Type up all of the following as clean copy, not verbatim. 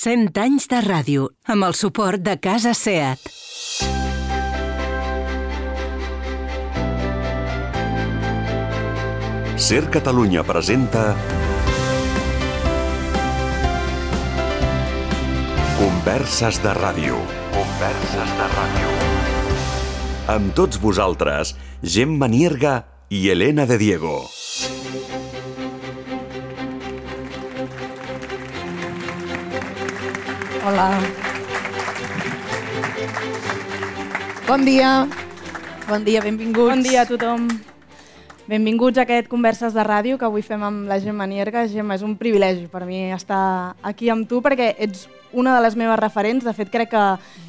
100 anys de ràdio, amb el suport de Casa Seat. Ser Catalunya presenta Converses de ràdio. Converses de ràdio. Amb tots vosaltres, Gemma Nierga i Elena de Diego. Hola. Bon dia. Bon dia, benvinguts. Bon dia a tothom. Benvinguts a aquest Converses de Ràdio que avui fem amb la Gemma Nierga. Gemma, és un privilegi per mi estar aquí amb tu perquè ets una de les meves referents. De fet, crec que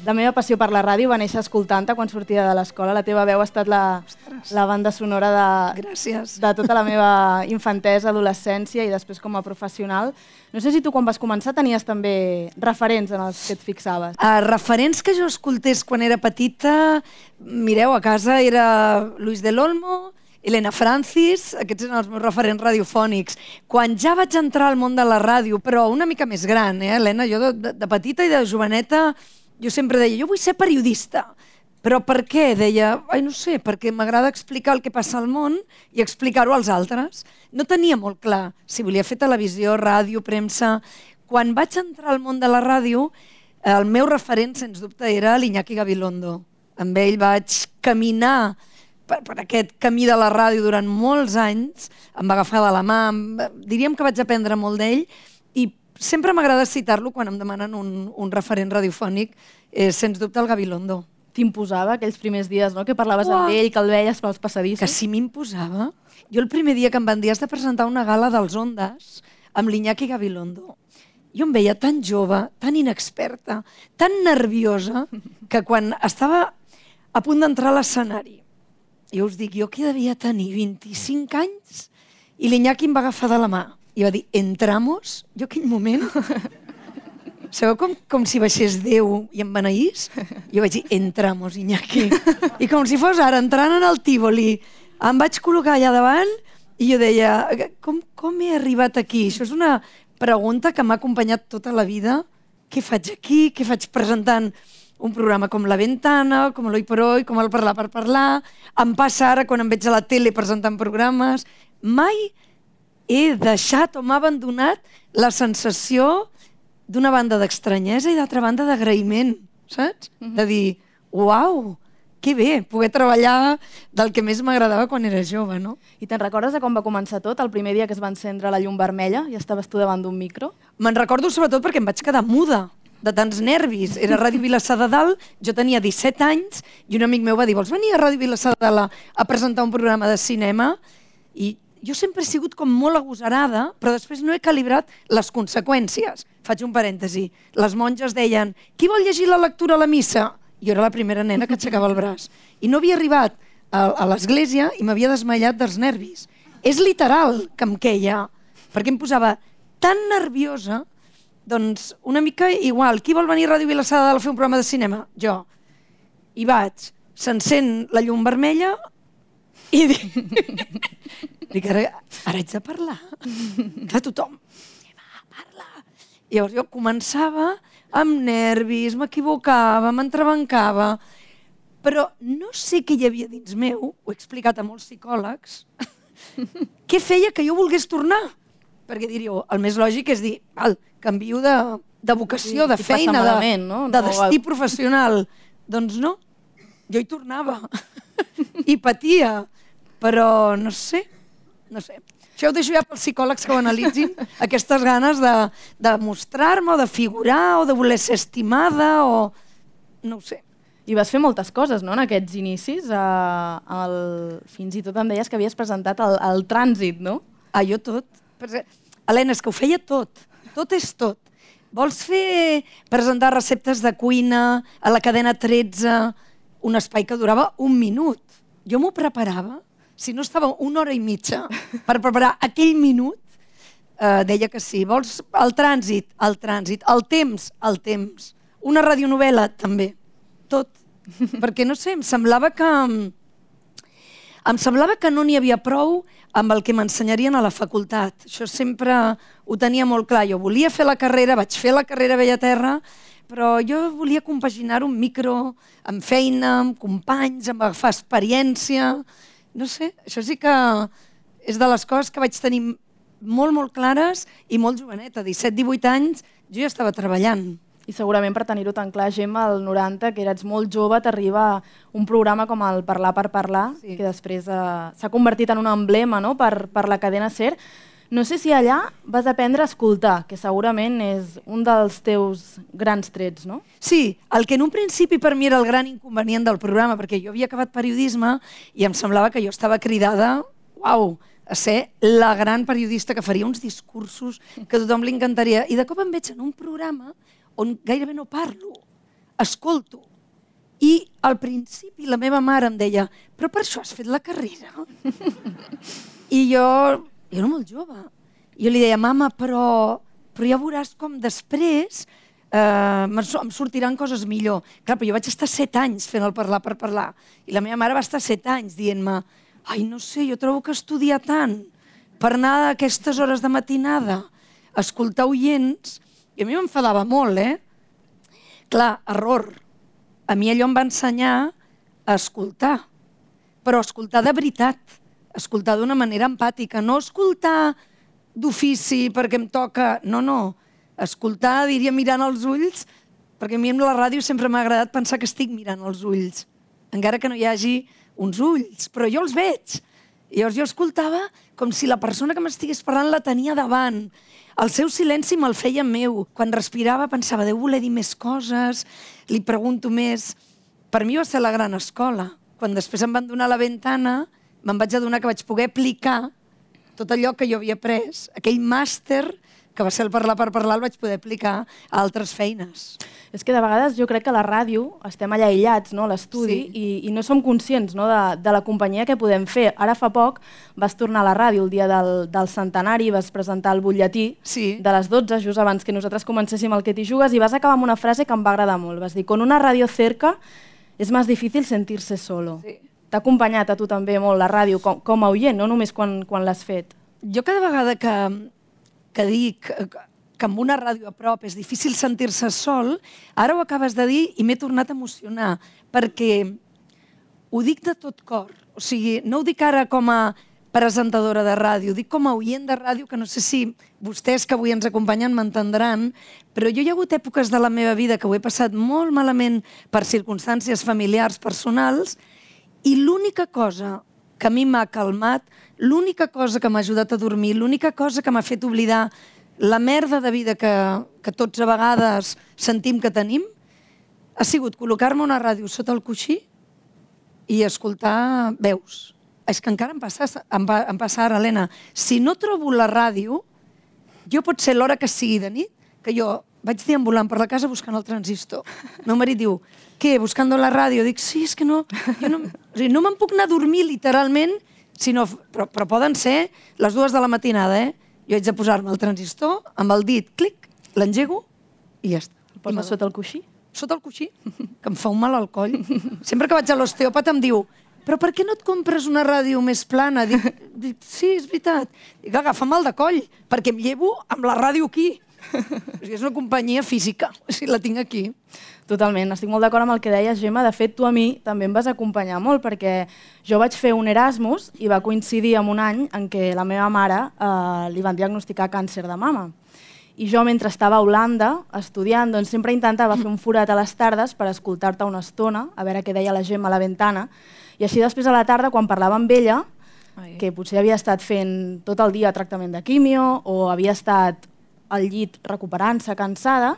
la meva passió per la ràdio va néixer escoltant-te quan sortia de l'escola. La teva veu ha estat la banda sonora de tota la meva infantesa, adolescència i després com a professional. No sé si tu quan vas començar tenies també referents en els que et fixaves. Referents que jo escoltés quan era petita, mireu, a casa era Luis del Olmo, Elena Francis, aquests eren els meus referents radiofònics. Quan ja vaig entrar al món de la ràdio, però una mica més gran, Elena, jo de petita i de joveneta, jo sempre deia, jo vull ser periodista. Però per què? Deia, no sé, perquè m'agrada explicar el que passa al món i explicar-ho als altres. No tenia molt clar si volia fer televisió, ràdio, premsa. Quan vaig entrar al món de la ràdio, el meu referent, sens dubte, era l'Iñaki Gabilondo. Amb ell vaig caminar per aquest camí de la ràdio durant molts anys, em va agafar de la mà, diríem que vaig aprendre molt d'ell i sempre m'agrada citar-lo quan em demanen un referent radiofònic, sens dubte el Gabilondo. T'imposava aquells primers dies, no?, que parlaves amb ell, que el veies pels passadissos. Que sí m'imposava. Jo el primer dia que em van dir has de presentar una gala dels Ondas amb l'Iñaki Gabilondo, jo em veia tan jove, tan inexperta, tan nerviosa, que quan estava a punt d'entrar a l'escenari, jo us dic, jo que devia tenir 25 anys i l'Iñaki em va agafar de la mà i va dir, entramos? Jo aquell moment, sabeu com si baixés Déu i em beneís? Jo vaig dir, entramos, Iñaki. I com si fos ara, entrant en el Tívoli, em vaig col·locar allà davant i jo deia, com he arribat aquí? Això és una pregunta que m'ha acompanyat tota la vida. Què faig aquí? Què faig presentant un programa com La Ventana, com l'Hoy por Hoy, com el Parlar per Parlar. Em passa ara quan em veig a la tele presentant programes. Mai he deixat o m'ha abandonat la sensació d'una banda d'estranyesa i d'altra banda d'agraïment, saps? De dir, uau, que bé, poder treballar del que més m'agradava quan era jove, no? I te'n recordes de com va començar tot, el primer dia que es va encendre la llum vermella i estaves tu davant d'un micro? Me'n recordo sobretot perquè em vaig quedar muda de tants nervis. Era Ràdio Vilassar de Dalt, jo tenia 17 anys i un amic meu va dir, vols venir a Ràdio Vilassar de Dalt a presentar un programa de cinema? I jo sempre he sigut com molt agosarada, però després no he calibrat les conseqüències. Faig un parèntesi. Les monges deien, qui vol llegir la lectura a la missa? Jo era la primera nena que aixecava el braç. I no havia arribat a l'església i m'havia desmaiat dels nervis. És literal que em queia, perquè em posava tan nerviosa. Doncs una mica igual. Qui vol venir a Ràdio Vilassar de Dalt a fer un programa de cinema? Jo. I vaig, s'encén la llum vermella i dic ara haig de parlar. Que tothom parla. I llavors jo començava amb nervis, m'equivocava, m'entrebancava, però no sé què hi havia dins meu, ho he explicat a molts psicòlegs, què feia que jo volgués tornar. Perquè diríeu, el més lògic és dir, canvio de vocació, de feina, de destí professional. Doncs no, jo hi tornava i patia, però no sé. Això ho deixo ja pels psicòlegs que ho analitzin, aquestes ganes de mostrar-me o de figurar o de voler ser estimada o no ho sé. I vas fer moltes coses, no?, en aquests inicis. Fins i tot em deies que havies presentat el Trànsit, no? Jo tot. Helena, és que ho feia tot. Tot és tot. Vols presentar receptes de cuina a la cadena 13, un espai que durava 1 minut. Jo m'ho preparava. Si no estava 1 hora i mitja per preparar aquell minut, deia que sí. Vols el trànsit? El trànsit. El temps. Una radionovel·la? També. Tot. Perquè, no sé, em semblava que Em semblava que no n'hi havia prou amb el que m'ensenyarien a la facultat. Això sempre ho tenia molt clar. Jo volia fer la carrera, vaig fer la carrera a Bellaterra, però jo volia compaginar un micro amb feina, amb companys, amb agafar experiència. No sé, això sí que és de les coses que vaig tenir molt, molt clares i molt joveneta. 17-18 anys jo ja estava treballant. I segurament per tenir-ho tan clar, Gemma, al 90, que eres molt jove, t'arriba un programa com el Parlar per Parlar, que després s'ha convertit en un emblema, no?, per la cadena SER. No sé si allà vas aprendre a escoltar, que segurament és un dels teus grans trets, no? Sí, el que en un principi per mi era el gran inconvenient del programa, perquè jo havia acabat periodisme i em semblava que jo estava cridada, uau, a ser la gran periodista que faria uns discursos que a tothom li encantaria. I de cop em veig en un programa on gairebé no parlo, escolto. I al principi la meva mare em deia, però per això has fet la carrera? I jo era molt jove. Jo li deia, mama, però ja veuràs com després em sortiran coses millor. Clar, però jo vaig estar 7 anys fent el Parlar per Parlar. I la meva mare va estar 7 anys dient-me, ai, no sé, jo trobo que estudiar tant per anar a aquestes hores de matinada, a escoltar oients, i a mi m'enfadava molt, Clar, error. A mi allò em va ensenyar a escoltar, però escoltar de veritat, escoltar d'una manera empàtica, no escoltar d'ofici perquè em toca, no, escoltar, diria, mirant els ulls, perquè a mi amb la ràdio sempre m'ha agradat pensar que estic mirant els ulls, encara que no hi hagi uns ulls, però jo els veig. I llavors jo escoltava com si la persona que m'estigués parlant la tenia davant. El seu silenci me'l feia meu. Quan respirava pensava, deu voler dir més coses, li pregunto més. Per mi va ser la gran escola. Quan després em van donar la ventana, me'n vaig adonar que vaig poder aplicar tot allò que jo havia après. Aquell màster que va ser el Parlar per Parlar el vaig poder aplicar a altres feines. És que de vegades jo crec que a la ràdio estem allà aïllats, no?, a l'estudi, i no som conscients, no?, de la companyia que podem fer. Ara fa poc vas tornar a la ràdio el dia del centenari, vas presentar el butlletí de les 12, just abans que nosaltres comencéssim el Que t'hi jugues, i vas acabar amb una frase que em va agradar molt. Vas dir, con una radio cerca es más difícil sentirse solo. T'ha acompanyat a tu també molt la ràdio com a oient, no només quan l'has fet. Jo cada vegada que dic que amb una ràdio a prop és difícil sentir-se sol, ara ho acabes de dir i m'he tornat a emocionar, perquè ho dic de tot cor. O sigui, no ho dic ara com a presentadora de ràdio, ho dic com a oient de ràdio, que no sé si vostès que avui ens acompanyen m'entendran, però jo hi ha hagut èpoques de la meva vida que ho he passat molt malament per circumstàncies familiars, personals, i l'única cosa que a mi m'ha calmat, l'única cosa que m'ha ajudat a dormir, l'única cosa que m'ha fet oblidar la merda de vida que tots a vegades sentim que tenim, ha sigut col·locar-me una ràdio sota el coixí i escoltar veus. És que encara em passa ara, Helena. Si no trobo la ràdio, jo pot ser l'hora que sigui de nit, que jo vaig deambulant per la casa buscant el transistor. El meu marit diu, què, buscando la ràdio? Dic, sí, és que no me'n puc anar a dormir literalment, però poden ser les 2 de la matinada, Jo haig de posar-me el transistor, amb el dit, clic, l'engego i ja està. El poses sota el coixí? Sota el coixí, que em fa un mal al coll. Sempre que vaig a l'osteòpata em diu, però per què no et compres una ràdio més plana? Dic, sí, és veritat. Dic, agafa mal de coll, perquè em llevo amb la ràdio aquí. És una companyia física, si la tinc aquí. Totalment, estic molt d'acord amb el que deies, Gemma. De fet, tu a mi també em vas acompanyar molt, perquè jo vaig fer un Erasmus i va coincidir amb un any en què la meva mare li van diagnosticar càncer de mama. I jo, mentre estava a Holanda estudiant, doncs sempre intentava fer un forat a les tardes per escoltar-te una estona, a veure què deia la Gemma a la ventana, i així després a la tarda, quan parlava amb ella, que potser havia estat fent tot el dia tractament de quimio o havia estat al llit recuperant-se, cansada,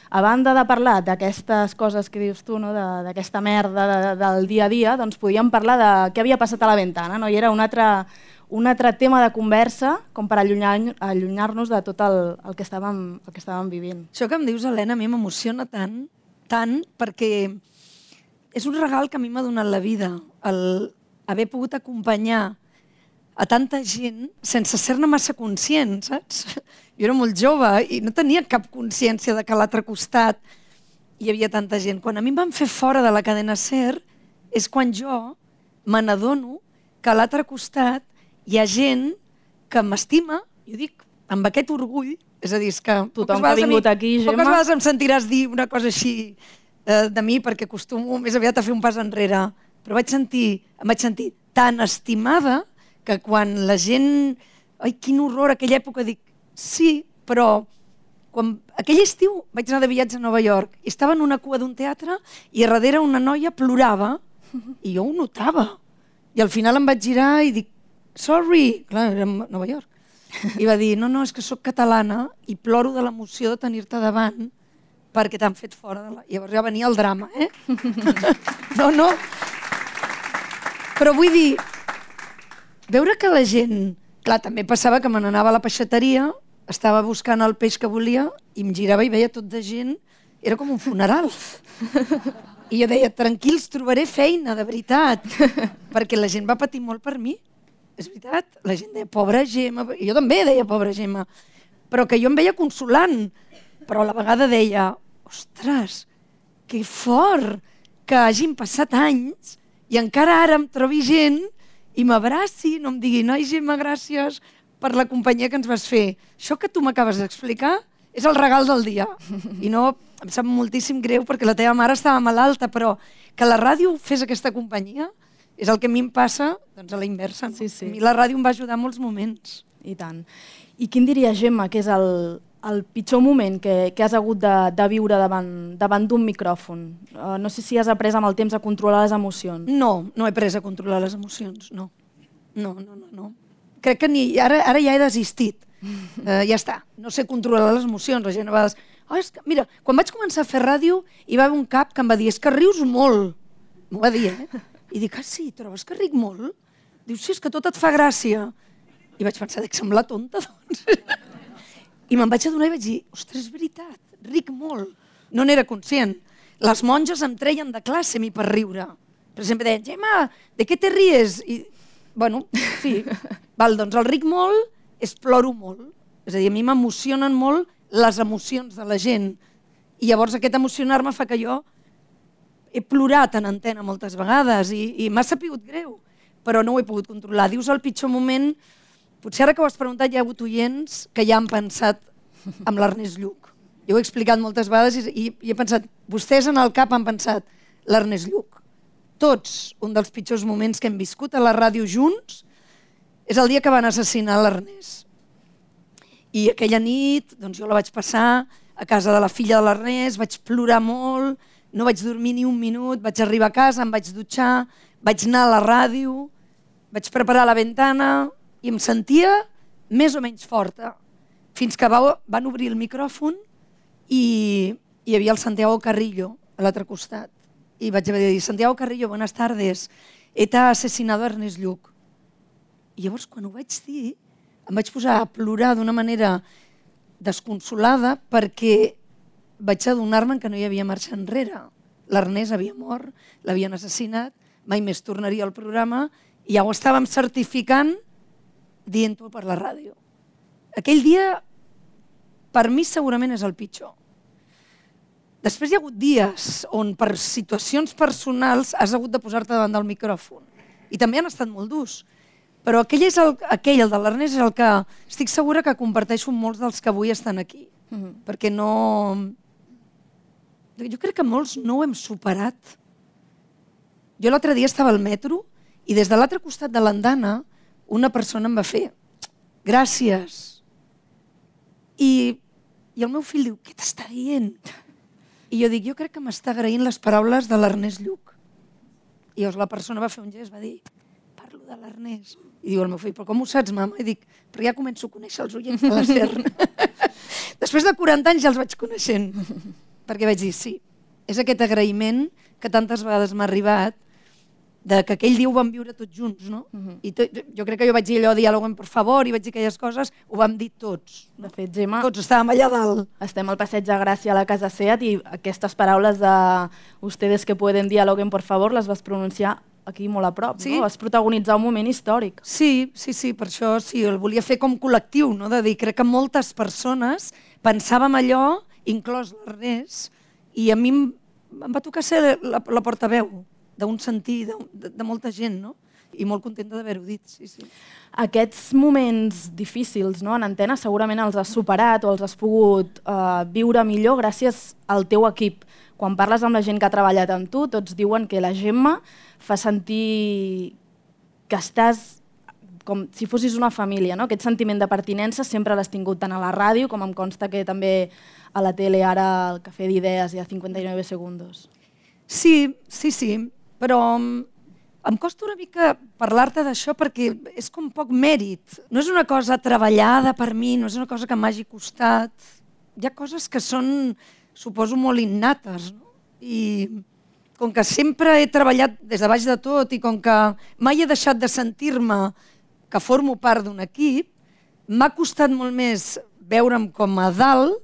a banda de parlar d'aquestes coses que dius tu, d'aquesta merda del dia a dia, doncs podíem parlar de què havia passat a la ventana, i era un altre tema de conversa com per allunyar-nos de tot el que estàvem vivint. Això que em dius, Helena, a mi m'emociona tant, perquè és un regal que a mi m'ha donat la vida, el haver pogut acompanyar a tanta gent sense ser-ne massa conscient, saps? Jo era molt jove i no tenia cap consciència de que a l'altre costat hi havia tanta gent. Quan a mi em van fer fora de la cadena SER és quan jo me n'adono que a l'altre costat hi ha gent que m'estima, i ho dic amb aquest orgull, és a dir, és que tothom que ha vingut aquí, Gemma... Poques vegades em sentiràs dir una cosa així de mi, perquè acostumo més aviat a fer un pas enrere, però em vaig sentir tan estimada que quan la gent... Ai, quin horror, aquella època, dic, sí, però aquell estiu vaig anar de viatge a Nova York i estava en una cua d'un teatre i a darrere una noia plorava i jo ho notava. I al final em vaig girar i dic, sorry, clar, era a Nova York. I va dir, no, és que sóc catalana i ploro de l'emoció de tenir-te davant perquè t'han fet fora de la... Llavors ja venia el drama, No. Però vull dir, veure que la gent... Clar, també passava que me n'anava a la peixateria, estava buscant el peix que volia i em girava i veia tot de gent. Era com un funeral. I jo deia, tranquils, trobaré feina, de veritat. Perquè la gent va patir molt per mi. És veritat. La gent deia, pobra Gemma. I jo també deia, pobra Gemma. Però que jo em veia consolant. Però a la vegada deia, ostres, que fort que hagin passat anys i encara ara em trobi gent i m'abraci, no em digui, noi, Gemma, gràcies per la companyia que ens vas fer. Això que tu m'acabes d'explicar és el regal del dia. I no, em sap moltíssim greu perquè la teva mare estava malalta, però que la ràdio fes aquesta companyia és el que a mi em passa doncs, a la inversa. No? Sí, sí. A mi la ràdio em va ajudar en molts moments. I tant. I quin diria, Gemma, que és el pitjor moment que has hagut de viure davant d'un micròfon? No sé si has après amb el temps a controlar les emocions. No he pres a controlar les emocions, no. No. Crec que ara ja he desistit. Ja està, no sé controlar les emocions. La gent a vegades... Mira, quan vaig començar a fer ràdio hi va haver un cap que em va dir, és que rius molt. M'ho va dir, I dic, sí, trobes que ric molt? Diu, sí, és que tot et fa gràcia. I vaig pensar, dic, sembla tonta, doncs. I me'n vaig adonar i vaig dir, ostres, és veritat, ric molt. No n'era conscient. Les monges em treien de classe a mi per riure. Per exemple, deien, Gemma, de què te ries? I, bueno, sí. Doncs el ric molt és ploro molt. És a dir, a mi m'emocionen molt les emocions de la gent. I llavors aquest emocionar-me fa que jo he plorat en antena moltes vegades i m'ha sapigut greu, però no ho he pogut controlar. Dius el pitjor moment... Potser ara que ho has preguntat hi ha hagut oients que ja han pensat amb l'Ernest Lluch. Jo ho he explicat moltes vegades i he pensat, vostès en el cap han pensat l'Ernest Lluch. Tots, un dels pitjors moments que hem viscut a la ràdio junts és el dia que van assassinar l'Ernest. I aquella nit doncs jo la vaig passar a casa de la filla de l'Ernest, vaig plorar molt, no vaig dormir ni un minut, vaig arribar a casa, em vaig dutxar, vaig anar a la ràdio, vaig preparar la ventana... i em sentia més o menys forta, fins que van obrir el micròfon i hi havia el Santiago Carrillo a l'altre costat. I vaig haver de dir, Santiago Carrillo, buenas tardes, ETA ha asesinado a Ernest Lluch. I llavors, quan ho vaig dir, em vaig posar a plorar d'una manera desconsolada perquè vaig adonar-me que no hi havia marxa enrere. L'Ernest havia mort, l'havien assassinat, mai més tornaria al programa i ja ho estàvem certificant dient-ho per la ràdio. Aquell dia, per mi, segurament és el pitjor. Després hi ha hagut dies on per situacions personals has hagut de posar-te davant del micròfon. I també han estat molt durs. Però aquell, el de l'Ernest, és el que estic segura que comparteixo amb molts dels que avui estan aquí. Perquè no... Jo crec que molts no ho hem superat. Jo l'altre dia estava al metro i des de l'altre costat de l'andana una persona em va fer gràcies. I el meu fill diu, què t'està dient? I jo dic, jo crec que m'està agraint les paraules de l'Ernest Lluch. I llavors la persona va fer un gest, va dir, parlo de l'Ernest. I diu el meu fill, però com ho saps, mama? I dic, però ja començo a conèixer els oients de la SER. Després de 40 anys ja els vaig coneixent. Perquè vaig dir, sí, és aquest agraïment que tantes vegades m'ha arribat de que aquell dia ho vam viure tots junts, no? I jo crec que jo vaig dir allò, diàloguen per favor, i vaig dir aquelles coses, ho vam dir tots. De fet, Gemma... Tots estàvem allà dalt. Estem al Passeig de Gràcia a la Casa Seat i aquestes paraules de ustedes que pueden dialoguen por favor les vas pronunciar aquí molt a prop, sí? No? Vas protagonitzar un moment històric. Sí, per això sí, el volia fer com col·lectiu, no? De dir, crec que moltes persones pensàvem allò, inclòs l'Ernest, i a mi em va tocar ser la portaveu d'un sentir de molta gent, no? i molt contenta d'haver-ho dit, sí, sí. Aquests moments difícils, no, en antena segurament els has superat o els has pogut viure millor gràcies al teu equip. Quan parles amb la gent que ha treballat amb tu, tots diuen que la Gemma fa sentir que estàs com si fossis una família, no? Aquest sentiment de pertinença sempre l'has tingut tant a la ràdio com em consta que també a la tele, ara al Cafè d'Idees i a 59 segundos. Sí, però em costa una mica parlar-te d'això perquè és com poc mèrit. No és una cosa treballada per mi, no és una cosa que m'hagi costat. Hi ha coses que són, suposo, molt innates, no? I com que sempre he treballat des de baix de tot i com que mai he deixat de sentir-me que formo part d'un equip, m'ha costat molt més veure'm com a dalt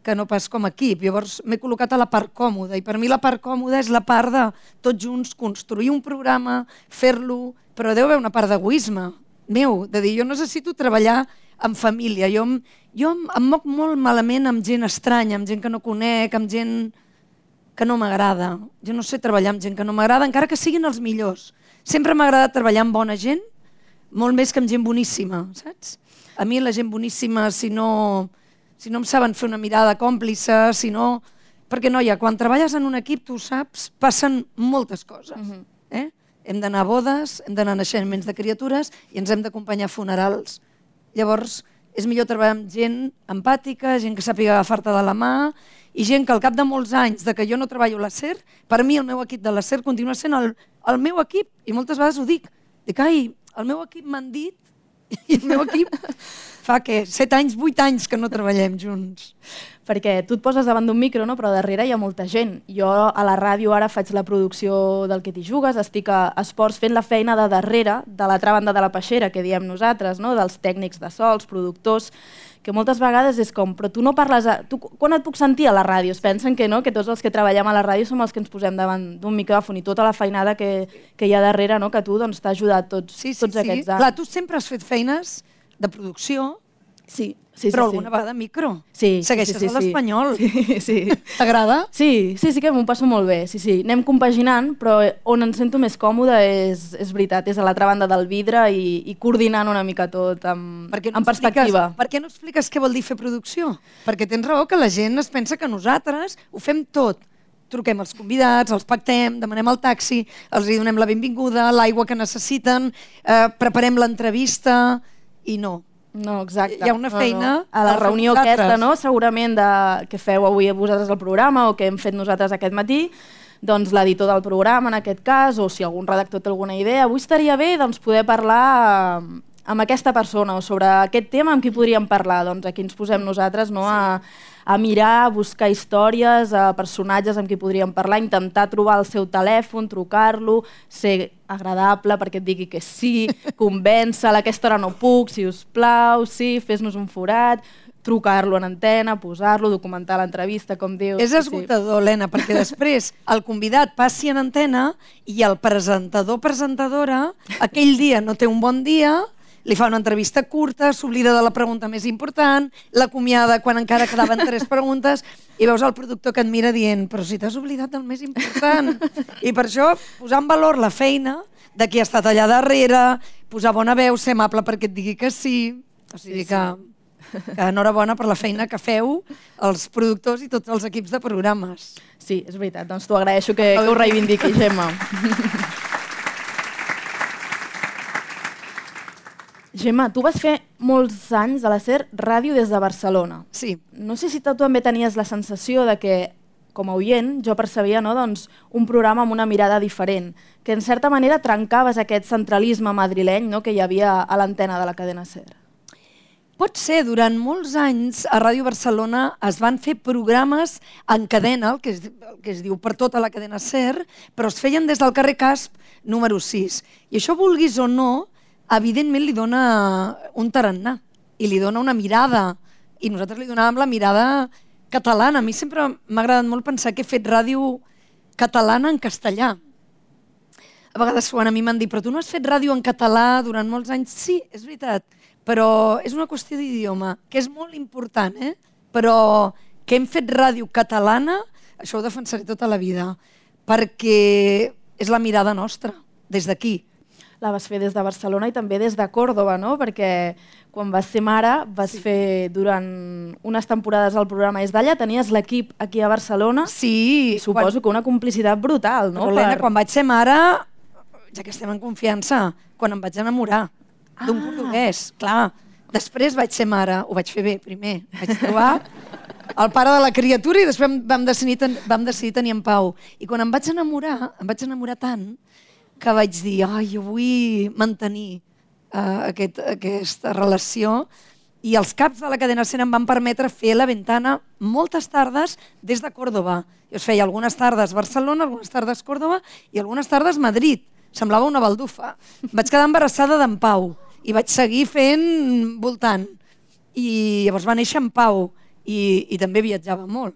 que no pas com a equip. Llavors m'he col·locat a la part còmoda i per mi la part còmoda és la part de tots junts construir un programa, fer-lo, però deu haver una part d'egoisme meu, de dir jo necessito treballar en família. Jo em moc molt malament amb gent estranya, amb gent que no conec, amb gent que no m'agrada. Jo no sé treballar amb gent que no m'agrada, encara que siguin els millors. Sempre m'ha agradat treballar amb bona gent, molt més que amb gent boníssima, saps? A mi la gent boníssima, si no em saben fer una mirada còmplice, perquè, noia, quan treballes en un equip, tu saps, passen moltes coses. Hem d'anar a bodes, hem d'anar a naixements de criatures i ens hem d'acompanyar a funerals. Llavors, és millor treballar amb gent empàtica, gent que sàpiga agafar-te de la mà i gent que al cap de molts anys de que jo no treballo a la SER, per mi el meu equip de la SER continua sent el meu equip i moltes vegades ho dic. Dic, el meu equip m'han dit i el meu equip fa 7 anys, 8 anys que no treballem junts. Perquè tu et poses davant d'un micro, no? Però darrere hi ha molta gent. Jo a la ràdio ara faig la producció del Que t'hi jugues, estic a esports fent la feina de darrere, de l'altra banda de la peixera, que diem nosaltres, no? Dels tècnics de so, els productors, que moltes vegades és com, però tu no parles... Quan et puc sentir a la ràdio? Es pensen que no, que tots els que treballem a la ràdio som els que ens posem davant d'un micròfon i tota la feinada que hi ha darrere, no? Que tu t'ha ajudat tots aquests anys. Clar, tu sempre has fet feines de producció, però alguna vegada micro. Segueixes a l'Espanyol. Sí. T'agrada? Sí, que m'ho passo molt bé. Sí. Anem compaginant, però on em sento més còmode és veritat, és a l'altra banda del vidre i coordinant una mica tot amb perspectiva. Per què no expliques què vol dir fer producció? Perquè tens raó que la gent es pensa que nosaltres ho fem tot. Truquem els convidats, els pactem, demanem el taxi, els donem la benvinguda, l'aigua que necessiten, preparem l'entrevista i no. No, exacte. Hi ha una feina... A la reunió aquesta, no? Segurament que feu avui a vosaltres el programa o que hem fet nosaltres aquest matí, doncs l'editor del programa en aquest cas, o si algun redactor té alguna idea, avui estaria bé poder parlar amb aquesta persona o sobre aquest tema amb qui podríem parlar. Doncs aquí ens posem nosaltres a mirar, a buscar històries, a personatges amb qui podríem parlar, intentar trobar el seu telèfon, trucar-lo, ser agradable perquè et digui que sí, convèncer-la, a aquesta hora no puc, si us plau, sí, fes-nos un forat, trucar-lo en antena, posar-lo, documentar l'entrevista, com dius. És esgotador, Helena, perquè després el convidat passi en antena i el presentador-presentadora aquell dia no té un bon dia, li fa una entrevista curta, s'oblida de la pregunta més important, l'acomiada quan encara quedaven 3 preguntes i veus el productor que et mira dient però si t'has oblidat del més important. I per això posar en valor la feina de qui ha estat allà darrere, posar bona veu, ser amable perquè et digui que sí. O sigui que enhorabona per la feina que feu els productors i tots els equips de programes. Sí, és veritat. Doncs t'ho agraeixo que ho reivindiqui, Gemma. Gemma, tu vas fer molts anys a la SER ràdio des de Barcelona. Sí. No sé si tu també tenies la sensació de que, com a oient, jo percebia un programa amb una mirada diferent, que en certa manera trencaves aquest centralisme madrileny que hi havia a l'antena de la cadena SER. Pot ser, durant molts anys a Ràdio Barcelona es van fer programes en cadena, el que es diu per tota la cadena SER, però es feien des del carrer Casp número 6. I això, vulguis o no, evidentment li dona un tarannà i li dona una mirada i nosaltres li donàvem la mirada catalana. A mi sempre m'ha agradat molt pensar que he fet ràdio catalana en castellà. A vegades quan a mi m'han dit però tu no has fet ràdio en català durant molts anys? Sí, és veritat, però és una qüestió d'idioma, que és molt important, però que hem fet ràdio catalana, això ho defensaré tota la vida, perquè és la mirada nostra, des d'aquí. la vas fer des de Barcelona i també des de Còrdova, no? Perquè quan vas ser mare vas fer durant unes temporades el programa És d'allà, tenies l'equip aquí a Barcelona. Sí. I suposo que una complicitat brutal, no? Però, Helena, quan vaig ser mare, ja que estem en confiança, quan em vaig enamorar d'un cordobès, clar. Després vaig ser mare, ho vaig fer bé primer. Vaig trobar el pare de la criatura i després vam decidir tenir en Pau. I quan em vaig enamorar tant que vaig dir, jo vull mantenir aquesta relació, i els caps de la cadena SER em van permetre fer la ventana moltes tardes des de Còrdova. Jo es feia algunes tardes Barcelona, algunes tardes Còrdova i algunes tardes Madrid. Semblava una baldufa. Vaig quedar embarassada d'en Pau i vaig seguir fent voltant. I llavors va néixer en Pau i també viatjava molt.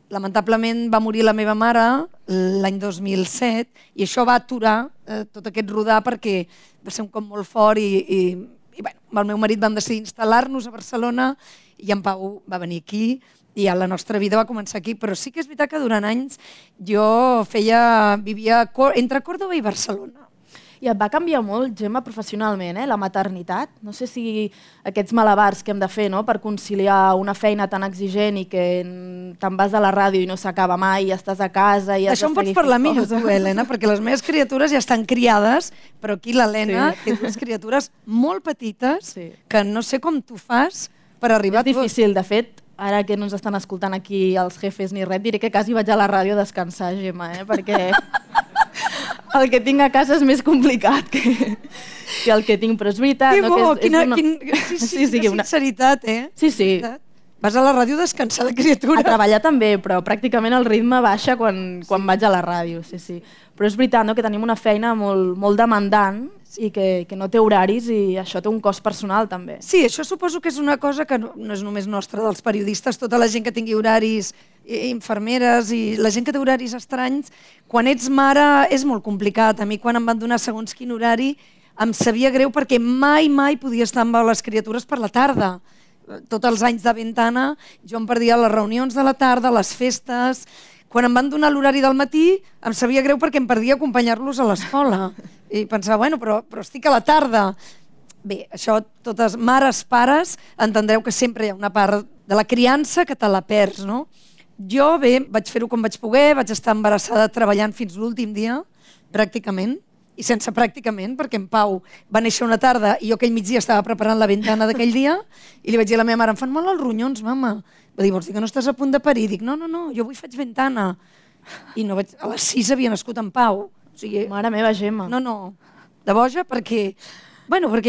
Lamentablement va morir la meva mare l'any 2007 i això va aturar tot aquest rodar perquè va ser un cop molt fort i bueno, amb el meu marit vam decidir instal·lar-nos a Barcelona i en Pau va venir aquí i ja la nostra vida va començar aquí, però sí que és veritat que durant anys jo vivia entre Còrdova i Barcelona. I et va canviar molt, Gemma, professionalment, la maternitat? No sé si aquests malabars que hem de fer per conciliar una feina tan exigent i que te'n vas a la ràdio i no s'acaba mai, i estàs a casa i has d'això de en pots parlar millor tu, Helena, perquè les meves criatures ja estan criades, però aquí l'Helena té dues criatures molt petites que no sé com tu fas per arribar a tot. És difícil, de fet, ara que no ens estan escoltant aquí els jefes ni res, diré que quasi vaig a la ràdio a descansar, Gemma, perquè el que tinc a casa és més complicat que el que tinc, però és veritat. Que bo, quina sinceritat, Sí. Vas a la ràdio a descansar de criatura. A treballar també, però pràcticament el ritme baixa quan vaig a la ràdio, sí. Però és veritat que tenim una feina molt demandant i que no té horaris i això té un cost personal també. Sí, això suposo que és una cosa que no és només nostra dels periodistes, tota la gent que tingui horaris, infermeres i la gent que té horaris estranys, quan ets mare és molt complicat. A mi quan em van donar segons quin horari em sabia greu perquè mai podia estar amb les criatures per la tarda. Tots els anys de ventana jo em perdia les reunions de la tarda, les festes. Quan em van donar l'horari del matí em sabia greu perquè em perdia acompanyar-los a l'escola. I pensava, bueno, però estic a la tarda. Bé, això, totes mares, pares, entendreu que sempre hi ha una part de la criança que te la perds, no? Jo, bé, vaig fer-ho com vaig poder, vaig estar embarassada treballant fins l'últim dia, pràcticament, i sense pràcticament, perquè en Pau va néixer una tarda i jo aquell migdia estava preparant la ventana d'aquell dia i li vaig dir a la meva mare, em fan mal els ronyons, mama. Va dir, vols dir que no estàs a punt de parir? Dic, no, jo avui faig ventana. I no vaig... a les 6 havia nascut en Pau. O sigui, mare meva, Gemma. No, de boja, perquè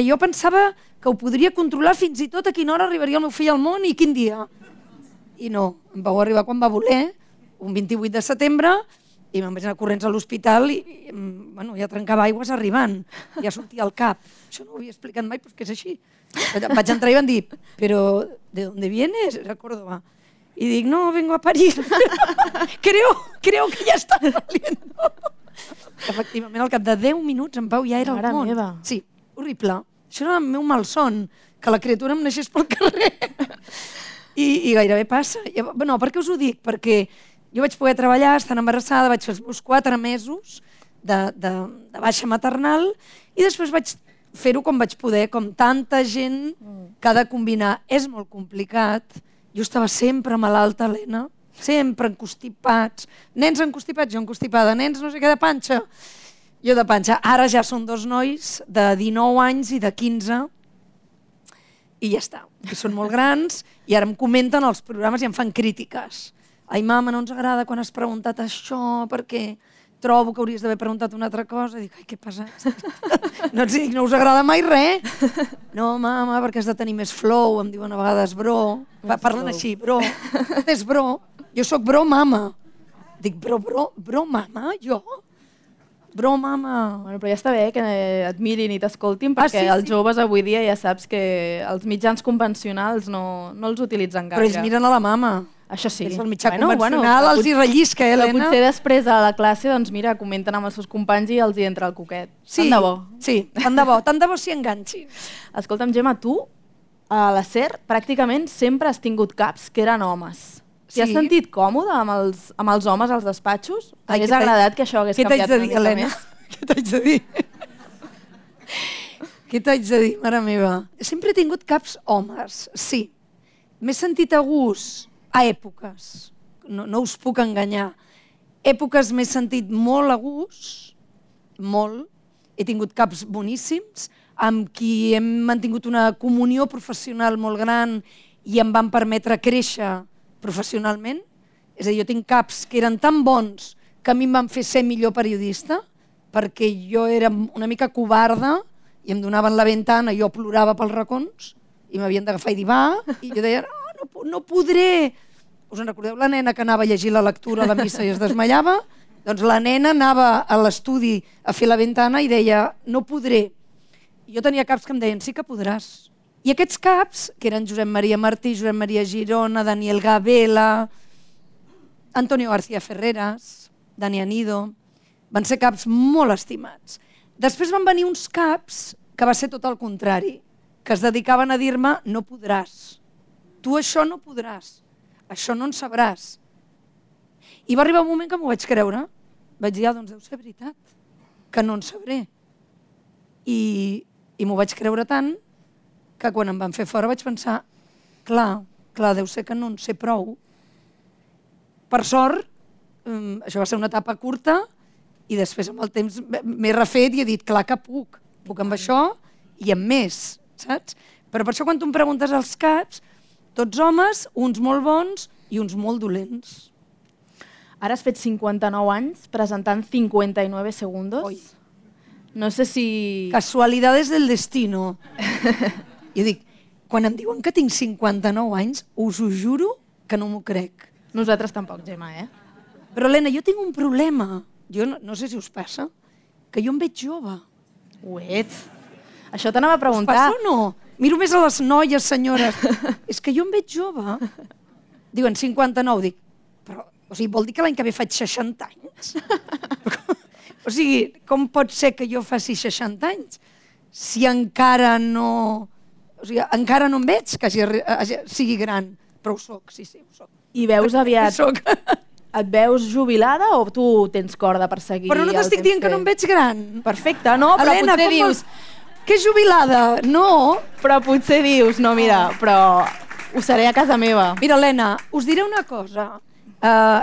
jo pensava que ho podria controlar fins i tot a quina hora arribaria el meu fill al món i quin dia. I no, em vau arribar quan va voler, un 28 de setembre, i me'n vaig anar corrents a l'hospital i ja trencava aigües arribant, ja sortia al cap. Això no ho havia explicat mai, però és que és així. Vaig entrar i van dir, però ¿de dónde vienes? Era Córdoba. Y dic, no, vengo a parir. creo que ya está saliendo. Efectivament, al cap de 10 minuts en Pau ja era al món. Meva. Sí, horrible. Això era el meu malson, que la criatura em naixés pel carrer. I gairebé passa. No, per què us ho dic? Perquè jo vaig poder treballar, estant embarassada, vaig fer els meus 4 mesos de baixa maternal i després vaig fer-ho com vaig poder, com tanta gent que ha de combinar. És molt complicat. Jo estava sempre malalta, Helena, sempre encostipats. Nens encostipats, jo encostipada. Nens no sé què, de panxa. Jo de panxa. Ara ja són 2 nois de 19 anys i de 15 i ja està. I són molt grans i ara em comenten els programes i em fan crítiques. Ai, mama, no ens agrada quan has preguntat això perquè trobo que hauries d'haver preguntat una altra cosa. I dic, ai, què passa? No els dic, no us agrada mai res? No, mama, perquè has de tenir més flow, em diuen a vegades bro. Parlen així, bro. És bro. Jo sóc bro, mama. Dic, bro, mama, jo? Bro, mama. Bueno, però ja està bé que et mirin i t'escoltin, perquè els joves avui dia ja saps que els mitjans convencionals no els utilitzen gaire. Però ells miren a la mama. Això sí. És el mitjà convencional, els hi rellisca, Helena. Però potser després a la classe, doncs mira, comenten amb els seus companys i els hi entra el coquet. Sí, tant de bo. Sí, tant de bo s'hi enganxin. Escolta'm, Gemma, tu a la SER pràcticament sempre has tingut caps que eren homes. T'hi has sentit còmode amb els homes als despatxos? T'hagués agradat que això hagués canviat una mica més? Què t'haig de dir? Què t'haig de dir, mare meva? Sempre he tingut caps homes, sí. M'he sentit a gust a èpoques, no us puc enganyar. Èpoques m'he sentit molt a gust, molt. He tingut caps boníssims, amb qui hem mantingut una comunió professional molt gran i em van permetre créixer professionalment. És a dir, jo tinc caps que eren tan bons que a mi em van fer ser millor periodista, perquè jo era una mica covarda i em donaven la ventana, jo plorava pels racons i m'havien d'agafar i dir va, i jo deia, no podré. Us en recordeu la nena que anava a llegir la lectura a la missa i es desmaiava? Doncs la nena anava a l'estudi a fer la ventana i deia, no podré. I jo tenia caps que em deien, sí que podràs. I aquests caps, que eren Josep Maria Martí, Josep Maria Girona, Daniel Gabela, Antonio García Ferreras, Dani Anido, van ser caps molt estimats. Després van venir uns caps que va ser tot el contrari, que es dedicaven a dir-me, no podràs, tu això no podràs, això no en sabràs. I va arribar un moment que m'ho vaig creure. Vaig dir, doncs deu ser veritat, que no en sabré. I m'ho vaig creure tant que quan em van fer fora vaig pensar, clar, deu ser que no en sé prou. Per sort, això va ser una etapa curta i després amb el temps m'he refet i he dit, clar que puc amb això i amb més, saps? Però per això quan tu em preguntes als caps, tots homes, uns molt bons i uns molt dolents. Ara has fet 59 anys presentant 59 segundos. Oi. No sé si... Casualidades del destino. Jo dic, quan em diuen que tinc 59 anys, us ho juro que no m'ho crec. Nosaltres tampoc, Gemma, Però, Helena, jo tinc un problema. Jo no sé si us passa, que jo em veig jove. Ho ets. Això t'anava a preguntar. Us passa o no? Miro més a les noies, senyores. És que jo em veig jove. Diuen 59, dic, però vol dir que l'any que ve faig 60 anys? O sigui, com pot ser que jo faci 60 anys si encara no... O sigui, encara no em veig que sigui gran, però ho soc, sí, ho soc. I veus aviat... Et veus jubilada o tu tens corda per seguir? Però no t'estic dient que no em veig gran. Perfecte, no, però Helena, potser dius... Que jubilada? No. Però potser dius, no, mira, però ho seré a casa meva. Mira, Helena, us diré una cosa.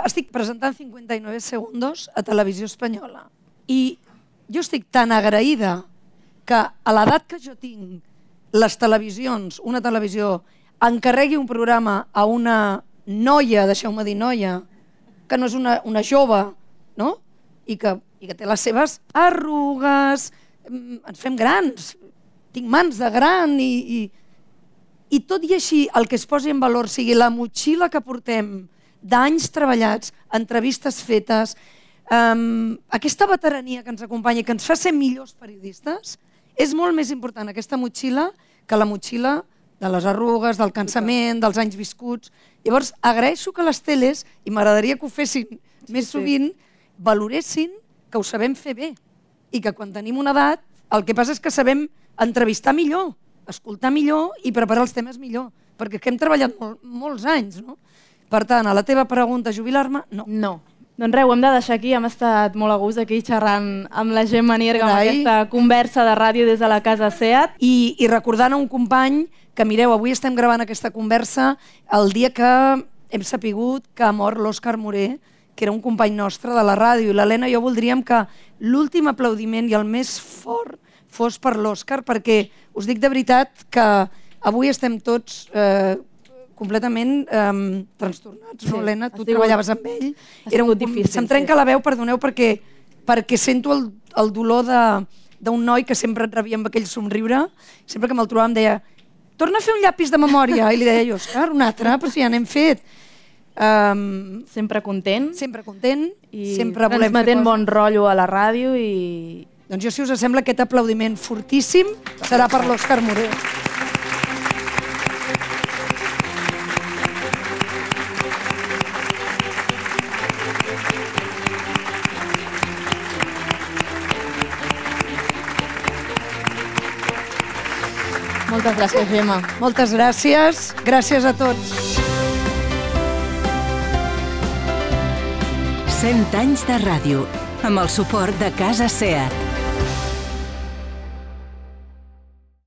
Estic presentant 59 segundos a Televisió Espanyola i jo estic tan agraïda que a l'edat que jo tinc, les televisions, una televisió, encarregui un programa a una noia, deixeu-me dir noia, que no és una jove, no? I que té les seves arrugues, ens fem grans, tinc mans de gran i tot i així el que es posi en valor sigui la motxilla que portem d'anys treballats, entrevistes fetes, aquesta veterania que ens acompanya i que ens fa ser millors periodistes, és molt més important aquesta motxilla que la motxilla de les arrugues, del cansament, dels anys viscuts. Llavors, agraeixo que les teles, i m'agradaria que ho fessin més sovint, valoressin que ho sabem fer bé i que quan tenim una edat el que passa és que sabem entrevistar millor, escoltar millor i preparar els temes millor, perquè hem treballat molts anys, no? Per tant, a la teva pregunta, jubilar-me, no. No. Doncs res, ho hem de deixar aquí. Hem estat molt a gust aquí xerrant amb la Gemma Nierga, amb aquesta conversa de ràdio des de la casa SEAT. I recordant a un company que, mireu, avui estem gravant aquesta conversa el dia que hem sapigut que ha mort l'Òscar Moré, que era un company nostre de la ràdio. I l'Helena i jo voldríem que l'últim aplaudiment i el més fort fos per l'Òscar, perquè us dic de veritat que avui estem tots completament trastornats, no, Helena? Tu treballaves amb ell. Se'm trenca la veu, perdoneu, perquè sento el dolor d'un noi que sempre et rebia amb aquell somriure. Sempre que me'l trobava em deia, torna a fer un llapis de memòria. I li deia jo, Òscar, un altre, però si ja n'hem fet. Sempre content. Sempre content. I transmetent bon rotllo a la ràdio. Doncs jo, si us sembla, aquest aplaudiment fortíssim serà per l'Òscar Moré. Moltes gràcies, Gemma. Moltes gràcies. Gràcies a tots. 100 anys de ràdio, amb el suport de Casa SEAT.